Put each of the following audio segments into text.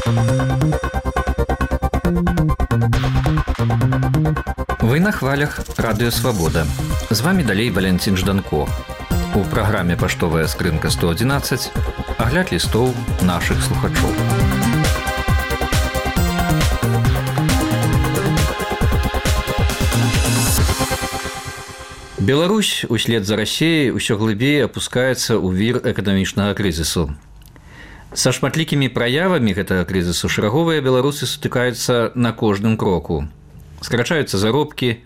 Вы на хвалях Радыё Свабода. З вами далей Валентин Жданко. У праграме «Паштовая скрынка 111» агляд лістоў нашых слухачоў. Беларусь услед за Россией ўсё глыбей апускаецца ў вір эканамічнага крызісу. Са шматлікімі праявамі гэтага крызісу шараговыя беларусы сутыкаюцца на кожным кроку. Скарачаюцца заробкі,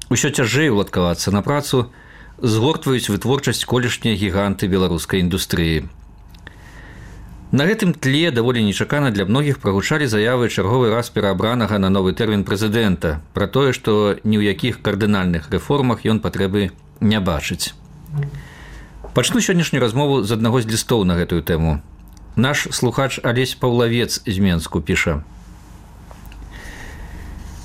усё цяжэй уладкавацца на працу, згортваюць вытворчасць колішнія гіганты беларускай індустрыі. На гэтым тле даволі нечакана для многіх прагучалі заявы чарговы раз пераабранага на новы тэрмін прэзідэнта пра тое, што ні ў якіх кардынальных рэформах ён патрэбы не бачыць. Пачну сённяшнюю размову з аднаго з лістоў на гэтую тэму. Наш слухач Алесь Паўлавец з Менску піша: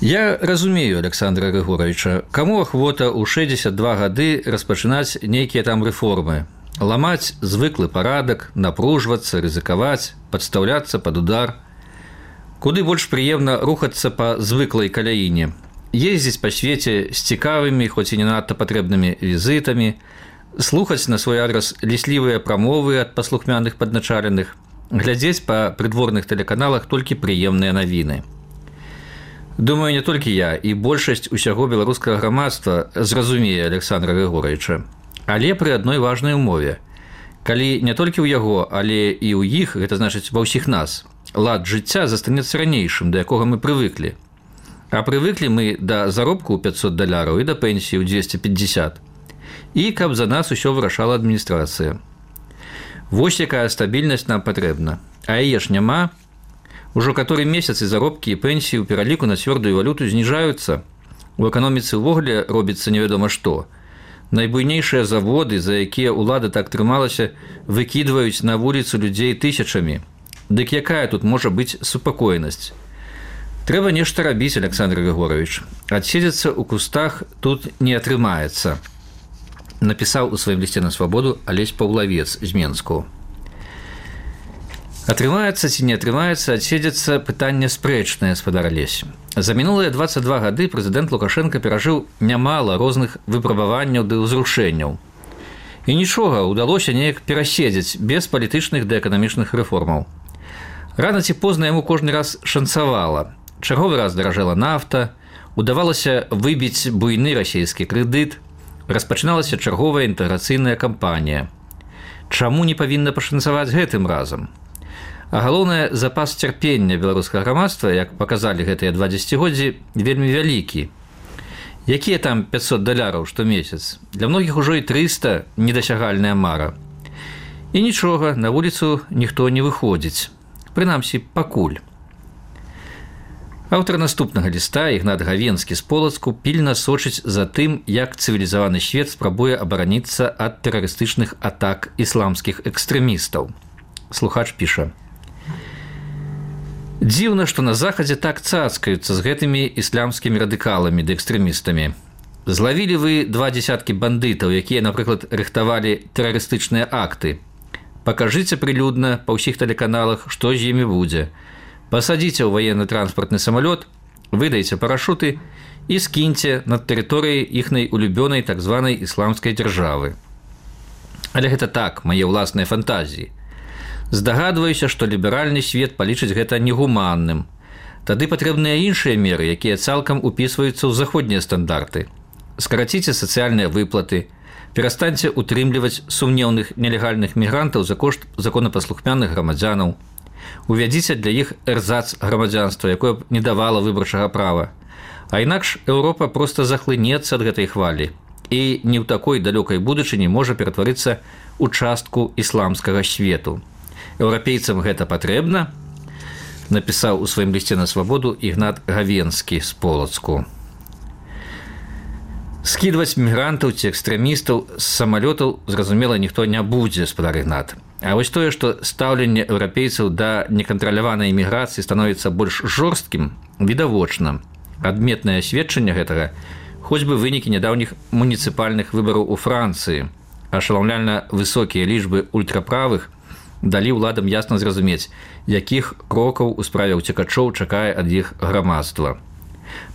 «Я разумею Александра Григоровича, каму ахвота ў 62 гады распачынаць нейкія там рэформы, ламаць звыклы парадак, напружвацца, рызыкаваць, падстаўляцца пад удар. Куды больш прыемна рухацца па звыклай каляіне, ездзіць па свеце з цікавымі, хоць і не надта патрэбнымі візітамі, слухаць на свой адрас ліслівыя прамовы ад паслухмяных падначаленых, глядзець па прыдворных тэлеканалах толькі прыемныя навіны. Думаю, не толькі я, і большасць усяго беларускага грамадства зразумее Александра Григоровича. Але пры адной важнай умове. Калі не толькі ў яго, але і ў іх, гэта значыць ва ўсіх нас, лад жыцця застанецца ранейшым, да якога мы прывыклі. А прывыклі мы да заробку ў $500 і да пенсіі ў 250. І каб за нас усё вырашала адміністрацыя. Вось якая стабільнасць нам патрэбна. А яе ж няма. Ужо каторы месяц і заробкі і пенсіі ў пераліку на цвёрдую валюту зніжаюцца. У эканоміцы ўвогуле робіцца невядома што. Найбуйнейшыя заводы, за якія ўлада так трымалася, выкідваюць на вуліцу людзей тысячамі. Дык якая тут можа быць супакоенасць? Трэба нешта рабіць, Александр Григорович. Адседзецца ў кустах тут не атрымаецца. Напісаў у сваім лісце на свабоду Алесь Паўлавец з Менску. Атрымаецца ці не атрымаецца, адседзецца пытанне спрэчнае, спадар Алесь. За мінулыя 22 гады прэзідэнт Лукашенко перажыў нямала розных выпрабаванняў ды ўзрушэнняў. І нічога, удалося неяк пераседзець без палітычных ды эканамічных рэформаў. Рана ці позна яму кожны раз шанцавала. Чарговы раз даражэла нафта, удавалася выбіць буйны расійскі крэдыт, распачыналася чарговая інтэграцыйная кампанія. Чаму не павінна пашанцаваць гэтым разам? А галоўнае, запас цярпення беларускага грамадства, як паказалі гэтыя 2 дзесяцігоддзі, вельмі вялікі. Якія там $500 штомесяц? Для многіх ужо і 300 недасягальная мара. І нічога, на вуліцу ніхто не выходзіць. Прынамсі, пакуль. Аўтар наступнага ліста, Ігнат Гавенскі з Полацку, пільна сочыць за тым, як цывілізаваны свет спрабуе абараніцца ад тэрарыстычных атак ісламскіх экстрэмістаў. Слухач піша: «Дзіўна, што на Захадзе так цацкаюцца з гэтымі іслямскімі радыкаламі ды экстрэмістамі. Злавілі вы 20 бандытаў, якія, напрыклад, рыхтавалі тэрарыстычныя акты. Пакажыце прылюдна па ўсіх тэлеканалах, што з імі будзе. Пасадзіце ў ваенны-транспартны самалёт, выдайце парашуты і скіньце над тэрыторыяй іхнай улюбёнай так званай ісламскай дзяржавы. Але гэта так, мае ўласныя фантазіі. Здагадваюся, што ліберальны свет палічыць гэта негуманным. Тады патрэбныя іншыя меры, якія цалкам упісваюцца ў заходнія стандарты. Скараціце сацыяльныя выплаты, перастаньце утрымліваць сумнеўных нелегальных мігрантаў за кошт законапаслухмяных грамадзянаў. Увядзіце для іх эрзац грамадзянства, якое б не давала выбарчага права. А інакш Еўропа проста захлынецца ад гэтай хвалі і не ў такой далёкай будучыні можа ператварыцца ў частку ісламскага свету. Еўрапейцам гэта патрэбна, напісаў у сваім лісце на свабоду Ігнат Гавенскі з Полацку. Скідваць мігрантаў ці экстрэмістаў з самалётаў, зразумела, ніхто не будзе, спадар Ігнат. А вось тое, што стаўленне еўрапейцаў да некантраляванай міграцыі становіцца больш жорсткім, відавочна. Адметнае сведчанне гэтага хоць бы вынікі нядаўніх муніцыпальных выбараў у Францыі, ашаламляльна высокія лічбы ультраправых далі ўладам ясна зразумець, якіх крокаў у справе ўцекачоў чакае ад іх грамадства.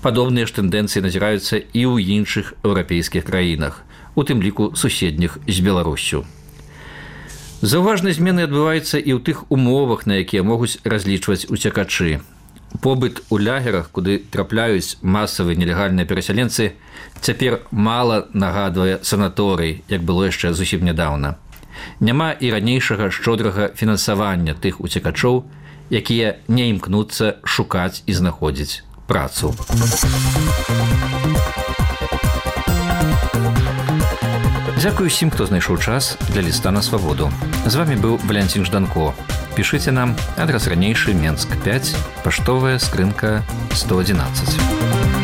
Падобныя ж тэндэнцыі назіраюцца і ў іншых еўрапейскіх краінах, у тым ліку суседніх з Беларуссю. Заўважныя змены адбываюцца і ў тых умовах, на якія могуць разлічваць уцекачы. Побыт у лагерах, куды трапляюць масавыя нелегальныя перасяленцы, цяпер мала нагадвае санаторый, як было яшчэ зусім нядаўна. Няма і ранейшага шчодрага фінансавання тых уцекачоў, якія не імкнуцца шукаць і знаходзіць працу. Дзякую усім, хто знайшоў час для ліста на свабоду. З вами быў Валянцін Жданко. Пішыце нам, адрас ранейшы, Менск 5, паштовая скрынка 111.